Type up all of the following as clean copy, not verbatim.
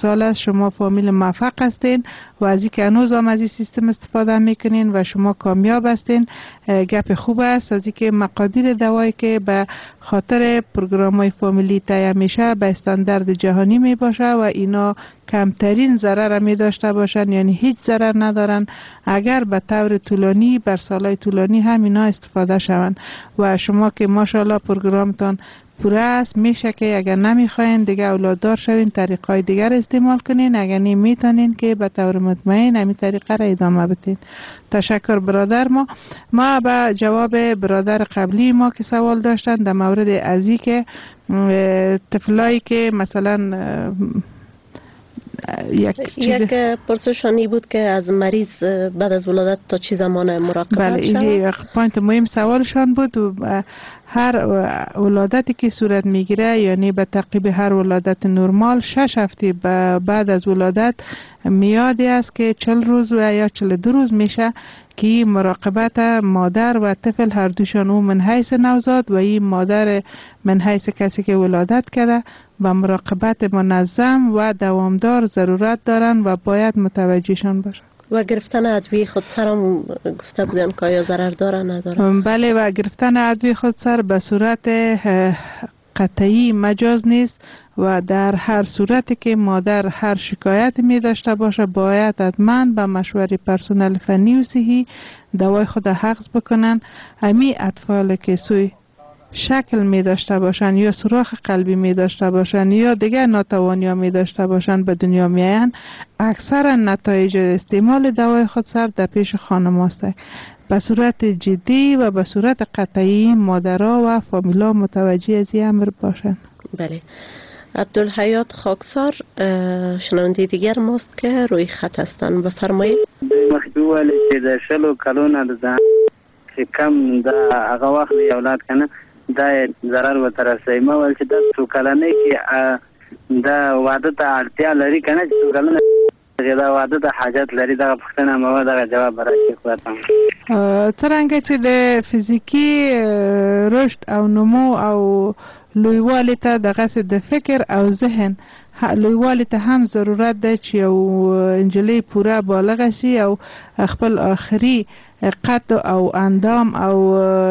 سال است، شما فامیل موفق هستین و از اینکه هنوز هم از این سیستم استفاده میکنین و شما کامیاب هستین، گپ خوب است. از اینکه مقادیر دوایی که به خاطر پروگرام های فامیلی تهیه میشه به استاندارد جهانی می باشه و اینا کمترین ضرر می داشته باشن، یعنی هیچ ضرر ندارن اگر به طور طولانی بر سالهای طولانی هم اینا استفاده شوند. و شما که ماشاءالله پروگرامتان پوره است، میشه که اگر نمیخواین دیگه اولاددار شوین طریقای دیگر استعمال کنین، اگر نی میتونین که به طور مطمئن همین طریقه را ادامه بدین. تشکر برادر. ما به جواب برادر قبلی ما که سوال داشتن در مورد ازی که طفلایی که مثلا یک پرسشانی بود که از مریض بعد از ولادت تا چه زمان مراقبت بله، این point مهم سوالشان بود. هر ولادتی که صورت میگیره، یعنی به تعقیب هر ولادت نرمال 6 هفته بعد از ولادت میادی است که 40 روز و یا 42 روز میشه که مراقبت مادر و طفل هر دوشان، او من حیث نوزاد و این مادر من حیث کسی که ولادت کرده، و مراقبت منظم و دوامدار ضرورت دارن و باید متوجهشان باشن. و گرفتن ادویه خودسر هم گفته بودن که آیا ضرر داره نداره؟ بله، و گرفتن ادویه خودسر به صورت قطعی مجاز نیست و در هر صورتی که مادر هر شکایت می داشته باشه باید حتما به مشوره پرسنل فنی و صحی دوای خود حفظ بکنن. امی اطفال که سوی شکل می داشته باشن یا سوراخ قلبی می داشته باشن یا دیگر ناتوانی ها می داشته باشن به دنیا می آیند، اکثرا نتایج استعمال دوای خودسر در پیش خانم هاست. به صورت جدی و به صورت قطعی مادرها و فامیلا متوجه از این امر باشند. بله. عبدالحیات خاکسار شنونده دیگر ماست که روی خط هستند، بفرمایید. مخکې وویل چې د 20 کلونو د چې کم دا هغه واخلي اولاد کنه دا ضرر ورته رسوي. ما ویل چې دا څو کلنۍ کې دا واده ته اړتیا لري کنه، چې څو کلنه دا واده ته حاجت لري؟ دغه پوښتنه مې دغه جواب به راکړي خدای ته. څرنګه چې د فزیکي رشد او نمو او لویوالي ته دغسې د فکر او ذهن لویوالي ته هم ضرورت دی چې یو نجلۍ پوره بالغه شي او خپل آخري قد او اندام او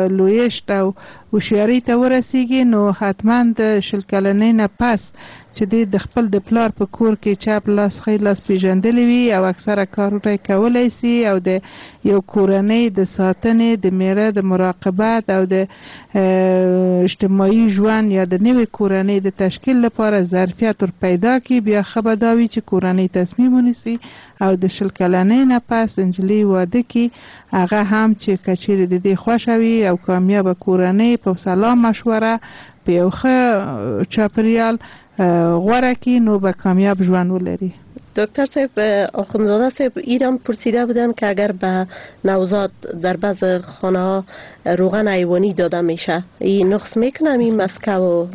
لویشت او هوښیارۍ ته ورسیږي، نو حتما د 20 کلنۍ نه پس چې دی د خپل د پلار په کور کې چپ لاس ښی لاس پیژندلی وي او اکثره کارونه یې کولی سي او د یو کورنۍ د ساتنې، د میړه د مراقبت او د اجتماعي ژوند یا د نوې کورنۍ د تشکیل لپاره ظرفیت ور پیدا کړي، بیا ښه به دا وي چې کورنۍ تصمیم ونیسي او د 20 کلنۍ نه پس نجلۍ واده کړي، هغه هم چې که چیرې د دې خوښه وي او کامیابه کورنۍ په سلا مشوره په یو ښه چاپریال غوره کړي، نو به کامیاب ژوند ولري. دکتر صاحب آخوندزاده صاحب ایران پرسیده بودن که اگر به نوزاد در بعض خانه ها روغن حیوانی داده میشه این نقص میکنه این مسکه و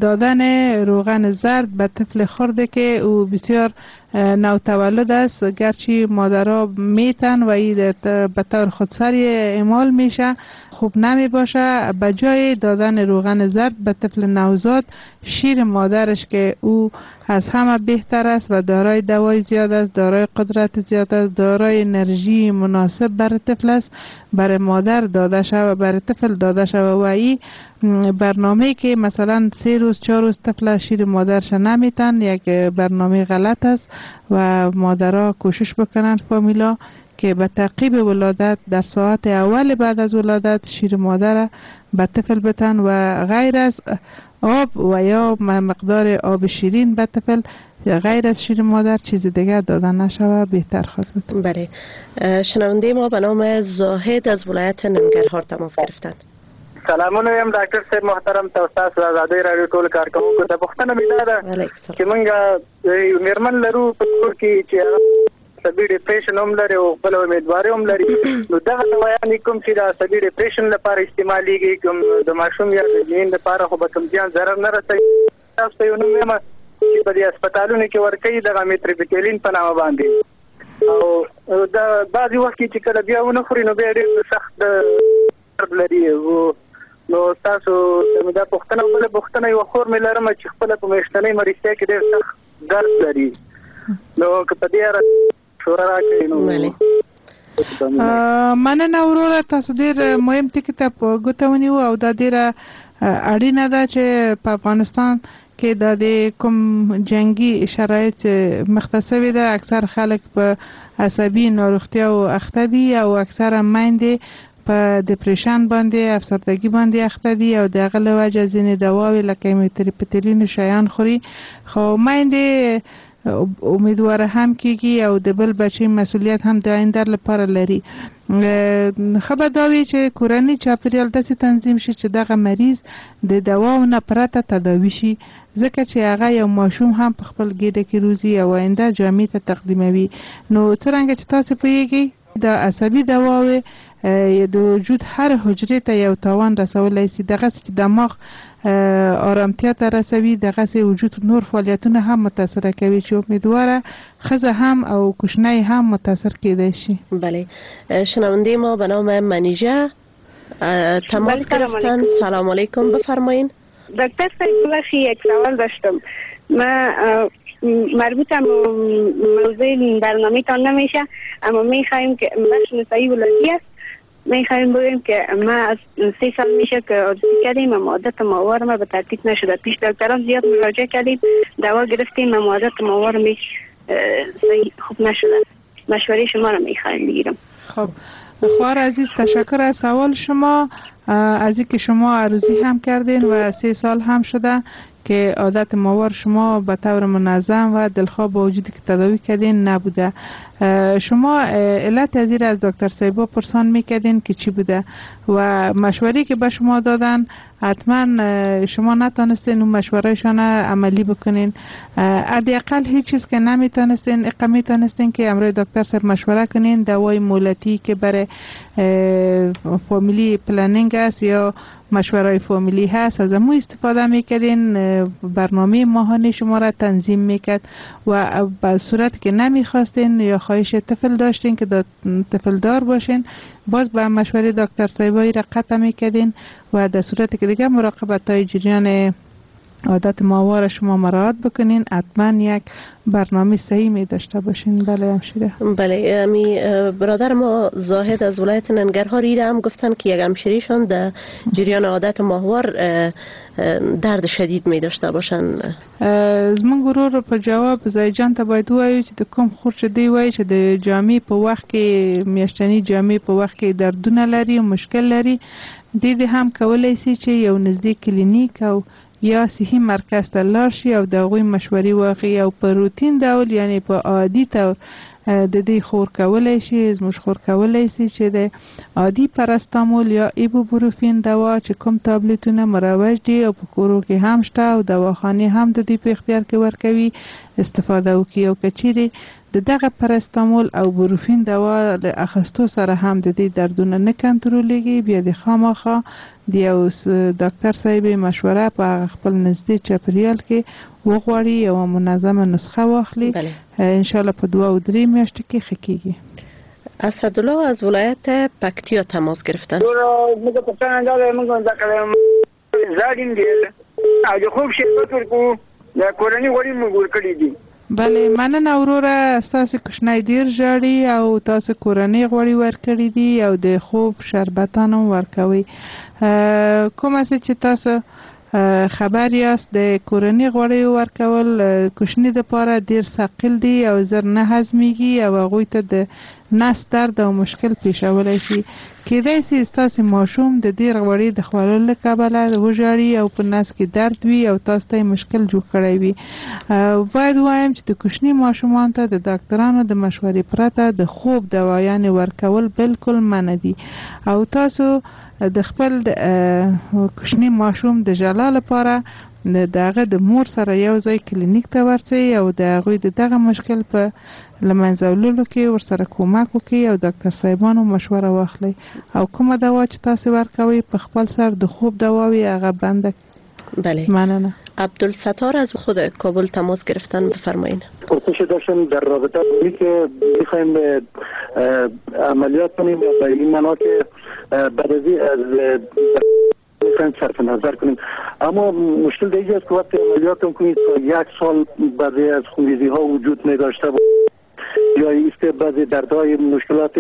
دادن روغن زرد به طفل خرده که او بسیار نوتولد است، گرچه مادرها میتن و این به طور خودسری اعمال میشه، خوب نمی باشه. به جای دادن روغن زرد به طفل نوزاد، شیر مادرش که او از همه بهتر است و دارای دوای زیاد است، دارای قدرت زیاد است، دارای انرژی مناسب برای طفل است، برای مادر داده شود و برای طفل داده شود. و این برنامه که مثلا 3 روز 4 روز طفل شیر مادرش نمیتن یک برنامه غلط است و مادرها کوشش بکنن فامیلا که به تعقیب ولادت در ساعت اول بعد از ولادت شیر مادر به طفل بتن و غیر از آب و یا مقدار آب شیرین به طفل غیر از شیر مادر چیز دیگر دادن نشود بهتر خواهد بود. بله. شنونده ما به نام زاهد از ولایت ننگرهار تماس گرفتن. سلامونه یم ډاکټر صاحب محترم ته، تاسو د ازادۍ راډیو ټول کارکوونکو ته. پوښتنه مې دا ده چې موږ میرمن لرو په کور کې چې عصبي depression هم لري او خپله امیدواري هم لري، نو دغه دوایانې کوم چې د عصبي depression لپاره استعمالیږي، کوم د ماشوم یا د جنین لپاره خو به کوم زیان ضرر نه رسوي؟ تاسو ته یو نوم وایم چې په دې هسپتالونو کې ورکوي دغه amitriptyline په نامه باندې، او دا بعضې وخت کې چې کله بیا ونه خوري نو بیا ډېر سخت درد لري. نو تاسو ته مې دا پوښتنه. بله پوښتنه یوه خور مې لرم چې خپله په میاشتنۍ مرستیا کې ډېر سخت درد لري، نو که په دې اړه مشوره راکړئ نو. مننه وروره، تاسو ډېر مهم ټکي ته په ګوته ونیو او دا ډېره اړینه ده چې په افغانستان کې دا د کوم جنګي شرایط مخته سوې ده، اکثر خلک په عصبي ناروغتیاو اخته دي او اکثره میندې په depression باندې، افسردګي باندې اخته دي او د هغه له وجه ځینې دواوې لکه میتریپتلین شیان خوري، خو میندې امیدواره هم کیږي او د بل بچي مسولیت هم د آینده لپاره لري. ښه به دا وي چې کورني چاپیریال داسې تنظیم شي چې دغه مریض د دواو نه پرته تداوي شي، ځکه چې هغه یو ماشوم هم په خپل ګیډه کې روزي او آینده جامع ته تقدیموي. نو څرنګه چې تاسو پوهیږئ د عصبي دواوې د وجود هر حجرې ته یو تاوان رسولی شي، دغسې چې دماغ آرامتیا ته رسوي، دغسې وجود نور فعالیتونه هم متاثره کوي چې امیدواره ښځه هم او کوچنی هم متاثر کیدای شي. بله، شنونده ما به نام منیژه تماس گرفتن. سلام علیکم، بفرمایین. دکتر صاحب ببخشید یک سوال داشتم. من مربوطم موضوع برنامه تان نمیشه، اما میخوایم که بخش نسایی ولادی است، میخوایم بگیم که ما از 3 سال میشه که عروسی کردیم اما عادت ماوار ما به ترتیب نشده. پیش دکتران زیاد مراجعه کردیم، دوا گرفتیم اما عادت ماوار می خوب نشده. مشوره شما رو میخوایم بگیرم. خب خواهر عزیز، تشکر از سوال شما، از اینکه شما عروسی هم کردین و 3 سال هم شده که عادت ماوار شما به طور منظم و دلخواه با وجودی که تداوی کردین نبوده. شما علت از این از دکتر صاحبا پرسان میکردین که چی بوده و مشوری که به شما دادن حتما شما نتانستین اون مشورهشان عملی بکنین. حداقل هیچ چیز که نمیتونستین، اقا میتونستین که امروز دکتر صاحب مشوره کنین دوای مولتی که برای family planning است یا مشورای فامیلی هست از امو استفاده میکردین، برنامه ماهانه شما را تنظیم میکرد و به صورت که نمیخواستین یا خواهش طفل داشتین که طفل دار باشین باز به مشوره دکتر صاحبایی را قطع میکردین و در صورت که دیگه مراقبت های جریان عادت ماوار شما مراعات بکنین حتما یک برنامه صحیح می داشته باشین. بله همشیره. بله، می برادر ما زاهد از ولایت ننگرهار ایره هم گفتن که یک همشیریشان در جریان عادت ماهوار درد شدید می داشته باشن. زمونږ ورور په جواب زایجان ته باید ووایو چې د کوم خور چې دی وایي چې د جامې په وخت کې میاشتني جامې په وخت کې دردونه لري او مشکل لري، دې هم کولی شي چې یو نږدې کلینیک او یا صحي مرکز ته لاړ شي او د هغوی مشورې واخلي او په روتین ډول یعنی په عادي طور د دې خور کولی شي، زموږ خور کولی شي چې د عادي پاراستامول یا ایبوبروفین دوا چې کوم تابلیتونه مروج دي او په کورو کې هم شته او دواخانې هم د دوی په اختیار کې ورکوي استفاده وکړي. او که چیرې د دغه پاراستامول او بروفین دوا له اخیستو سره هم د دې دردونه نه کنټرولېږي، بیا د خامخا د یو داکتر صاحب مشوره په هغه خپل نږدې چاپېریال کې وغواړي، یوه منظمه نسخه واخلي، انشاءالله په 2 او 3 میاشتو کې ښه کېږي. اسدالله از ولایت پکتیا تماس گرفتن. بله، مننه وروره، ستاسو کوچنی ډیر ژاړي او تاسو کورنۍ غوړي ورکړي دي او د خوب شربتان هم ورکوي. کومه څه چې تاسو خبر یاست د کورنۍ غوړیو ورکول کوچني دپاره ډیر ثقیل دي او زر نه هضمیږي او هغوی ته د نس درد او مشکل پیښولی شي. کیدای شي ستاسو ماشوم د ډیر غوړي د خوړلو له کبله وژاړي او په نس کې درد وي او تاسو ته یې مشکل جوړ کړی وي. باید ووایم چې د کوچني ماشومان ته د داکترانو د مشورې پرته د خوب دوایانې ورکول بالکل منع دي او تاسو د خپل کوچني ماشوم د ژړا لپاره د هغه د مور سره یو ځای کلینیک ته ورځئ او د هغوی د دغه مشکل په له منځه وړلو کې ورسره کومک وکړئ او داکتر صاحبانو مشوره واخلئ او کومه دوا چې تاسو ورکوئ په خپل سر د خوب دوا وي هغه بنده. بله، مننه. عبدالستار از خود کابل تماس گرفتن، بفرمایین. پرسش داشتم در رابطه با که میخوایم عملیات کنیم به این معنا که بعد از میخوایم صرف نظر کنیم. اما مشکل دیگه است که وقتی عملیات کنید تا 1 سال بعضی از خونریزی ها وجود نداشته باشه یا ایست بعضی دردهای مشکلات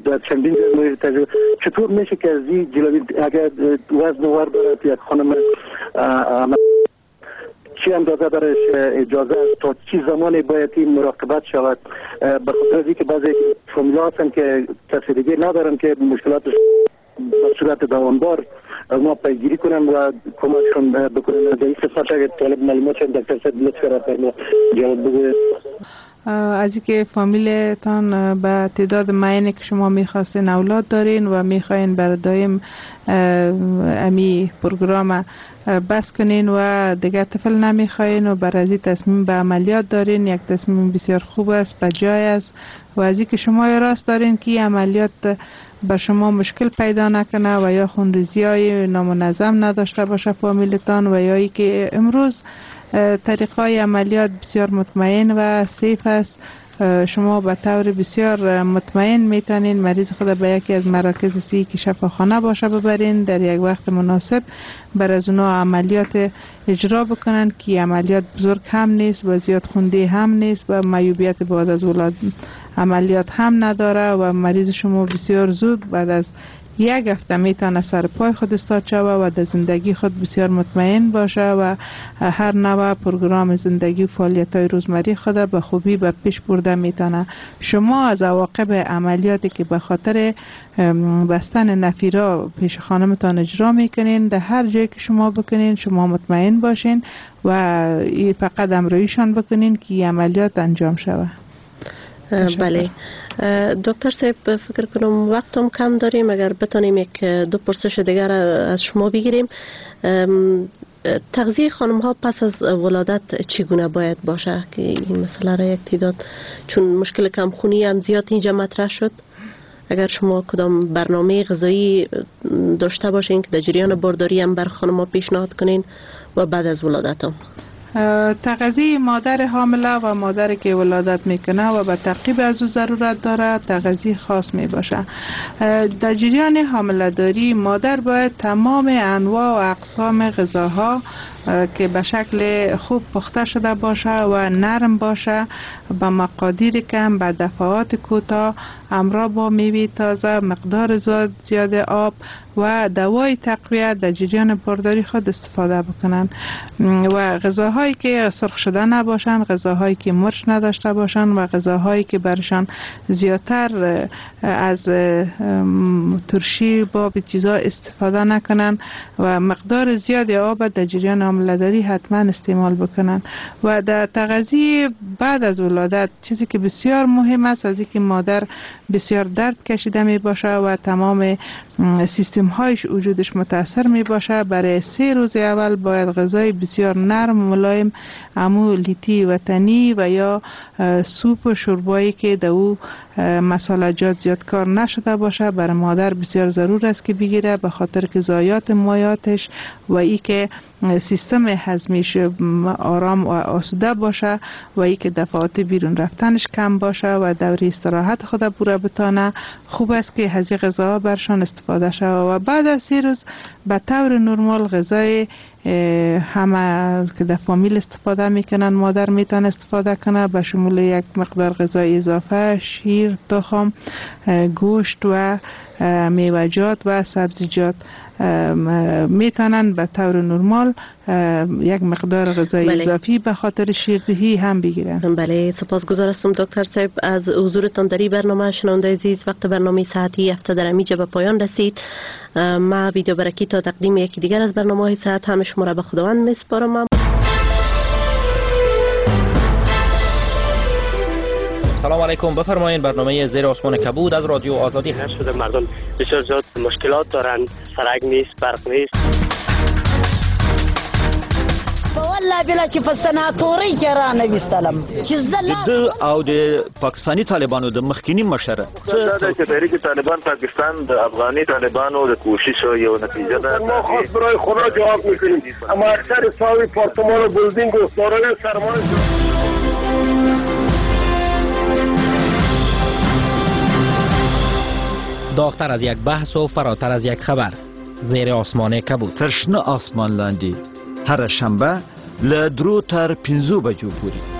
در چندین جای تجربه، چطور میشه که از این جلوی اگر وزن ور برد یک خانم چی اندازه برش اجازه است، تا چی زمانی باید این مراقبت شود؟ به خاطر از اینکه بعضی فامیل‌ها هستن که کسی دیگه ندارن که مشکلاتش به صورت دوامدار ما پیگیری کنن و کمکشون بکنن. در این قسمت اگر طالب معلومات شد دکتر صاحب لطف کرد ما جواب بگوید. از اینکه فامیلتان به تعداد معینی که شما میخواستین اولاد دارین و میخواین برای دایم امی پروگرام بس کنین و دیگر طفل نمیخواین و بر از این تصمیم به عملیات دارین، یک تصمیم بسیار خوب است، به جای است. و از اینکه شما راست دارین که عملیات به شما مشکل پیدا نکنه و یا خونریزی های نامنظم نداشته باشه فامیلتان، و یا ای که امروز طریقای عملیات بسیار مطمئن و safe است، شما به طور بسیار مطمئن میتونین مریض خود به یکی از مراکز سی که شفاخانه باشه ببرین، در یک وقت مناسب بر از اونا عملیات اجرا بکنن که عملیات بزرگ هم نیست و زیاد خونده هم نیست و معیوبیت بعد از ولادت عملیات هم نداره و مریض شما بسیار زود بعد از 1 هفته میتونه سر پای خود استاد شوه و در زندگی خود بسیار مطمئن باشه و هر نوع پروگرام زندگی و فعالیت های روزمری خود به خوبی به پیش برده میتونه. شما از عواقب عملیاتی که به خاطر بستن نفیرا پیش خانمتان اجرا میکنین، در هر جایی که شما بکنین شما مطمئن باشین و فقط امرایشان بکنین که عملیات انجام شوه. بله دکتر صاحب، فکر کنم وقتم کم داریم، اگر بتانیم 1-2 پرسش دیگر از شما بگیریم. تغذیه خانم ها پس از ولادت چگونه باید باشه که این مسئله را یک تعداد چون مشکل کمخونی هم زیاد اینجا مطرح شد، اگر شما کدام برنامه غذایی داشته باشین که در جریان بارداری هم بر خانم ها پیشنهاد کنین و بعد از ولادت هم. تغذیه مادر حامله و مادر که ولادت میکنه و به تعقیب از او ضرورت داره تغذیه خاص می باشه. در جریان حامله داری مادر باید تمام انواع و اقسام غذاها که به شکل خوب پخته شده باشه و نرم باشه، به مقادیر کم، به دفعات کوتاه، همراه با میوه تازه، مقدار زیاد آب و دوای تقویت در جریان بارداری خود استفاده بکنن و غذاهایی که سرخ شده نباشن، غذاهایی که مرچ نداشته باشن و غذاهایی که برشان زیادتر از ترشی باب چیزا استفاده نکنن و مقدار زیاد آب در جریان حامله‌داری حتما استعمال بکنن. و در تغذیه بعد از ولادت چیزی که بسیار مهم است از اینکه مادر بسیار درد کشیده می باشه و تمام سیستم هایش وجودش متاثر می باشه، برای 3 روز اول باید غذای بسیار نرم و ملایم، امو لیتی وطنی و یا سوپ و شوربایی که در او مسالجات زیاد کار نشده باشه برای مادر بسیار ضرور است که بگیره، به خاطر که ضایعات مایعاتش و ای که سیستم هضمیش آرام و آسوده باشه و ای که دفعات بیرون رفتنش کم باشه و دوره استراحت خود پوره بتانه. خوب است که از غذاها برشان استفاده شود و بعد از 3 روز به طور نرمال غذای همه که در فامیل استفاده میکنن مادر میتونه استفاده کنه، به شمول یک مقدار غذای اضافه، شیر، تخم، گوشت و میوه‌جات و سبزیجات میتونن به طور نرمال یک مقدار غذای بله. اضافی به خاطر شیردهی هم بگیرن. بله، سپاسگزار هستم دکتر صاحب از حضورتان در این برنامه. شنونده عزیز، وقت برنامه ساعتی هفته در امیجا به پایان رسید. ما ویدیو برکی تا تقدیم یکی دیگر از برنامه‌های ساعت هم شما را به خداوند میسپارم. سلام علیکم، بفرمایید برنامه زیر آسمان کبود از رادیو آزادی. هر شده مردم بسیار زیاد مشکلات دارند، سرک نیست، برق نیست. والله بلا چې په سناتوري کې را نه وستلم چې زه او د پاکستاني طالبانو د مخکینی مشر چې تحریک طالبان پاکستان د افغاني طالبانو د کوشش یو نتیجه ده. ما خواست برای خدا جواب میکنیم، اما اکثر ساوی پارتمان و بلدینگ و سارای سرمایه. داغتر از یک بحث و فراتر از یک خبر. زیر آسمان کبود. تر شنه آسمان لاندې هره شنبه له 3 تر 5 بجو پورې.